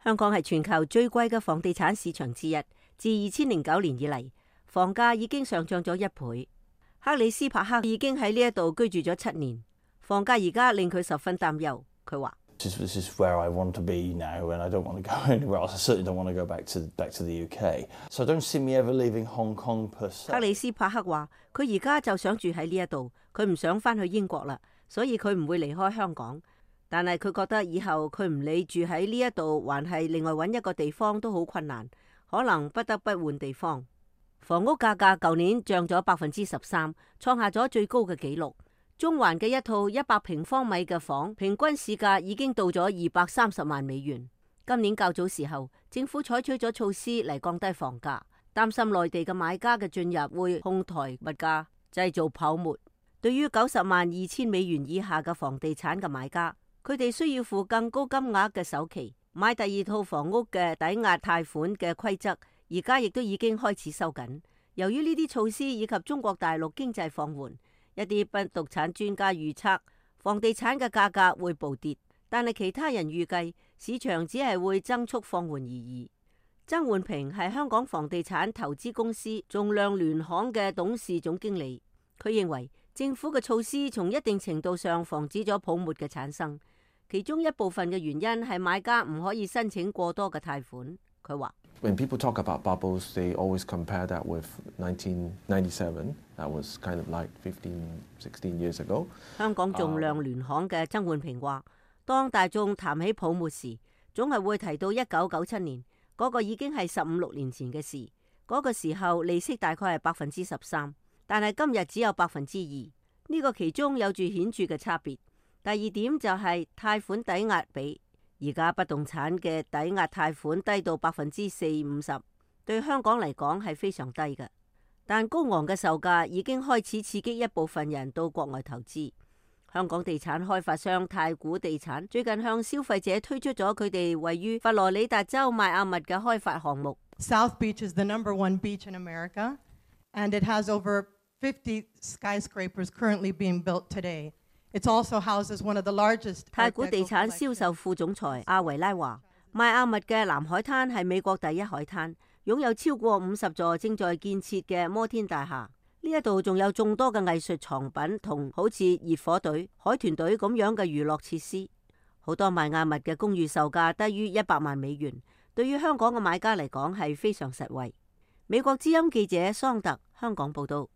香港係全球最貴嘅房地產市場之一，自2009年以嚟，房價已經上漲咗1倍。克里斯帕克已經喺呢一度居住咗7年，房價而家令佢十分擔憂。佢話：This is where I want to be now, and I don't want to go anywhere else. I certainly don't want to go back to the UK. So I don't see me ever leaving Hong Kong per se. 克里斯帕克話：佢而家就想住喺呢一度，佢唔想翻去英國啦，所以佢唔會離開香港。但係佢覺得以後佢唔理住喺呢一度，還係另外揾一個地方都好困難，可能不得不換地方。房屋價格舊年漲咗13%，創下咗最高嘅紀錄。中環嘅一套100平方米嘅房，平均市價已經到咗230萬美元。今年較早時候，政府採取咗措施嚟降低房價，擔心內地嘅買家嘅進入會哄抬物價，製造泡沫。對於90.2萬美元以下嘅房地產嘅買家，佢哋需要付更高金額嘅首期，買第二套房屋嘅抵押貸款嘅規則，而家亦都已經開始收緊。由於呢啲措施以及中國大陸經濟放緩，一啲不動產專家預測房地產嘅價格會暴跌，但係其他人預計市場只係會增速放緩而已。曾煥平係香港房地產投資公司仲量聯行嘅董事總經理，佢認為政府嘅措施從一定程度上防止咗泡沫嘅產生，其中一部分嘅原因係買家唔可以申請過多嘅貸款。佢話：When people talk about bubbles, they always compare that with 1997. That was kind of like 16 years ago. 香港仲量聯行嘅曾煥平話：當大眾談起泡沫時，總係會提到1997年，嗰個已經係15-16年前嘅事。嗰個時候利息大概係13%，但係今日只有2%。呢個其中有住顯著嘅差別。第二點就係貸款抵押比，而家不動產嘅抵押貸款低到40-50%，對香港嚟講係非常低嘅。但高昂嘅售價已經開始刺激一部分人到國外投資。香港地產開發商太古地產最近向消費者推出咗佢哋位於佛羅里達州邁阿密嘅開發項目。South Beach is the #1 beach in America, and it has over 50 skyscrapers currently being built today. It also houses one of the largest. 太古地產銷售副總裁阿維拉話：邁阿密嘅南海灘係美國第一海灘，擁有超過50座正在建設嘅摩天大廈。呢一度仲有眾多嘅藝術藏品同好似熱火隊、海豚隊咁樣嘅娛樂設施。好多邁阿密嘅公寓售價低於100萬美元，對於香港嘅買家嚟講係非常實惠。美國之音記者桑特香港報道。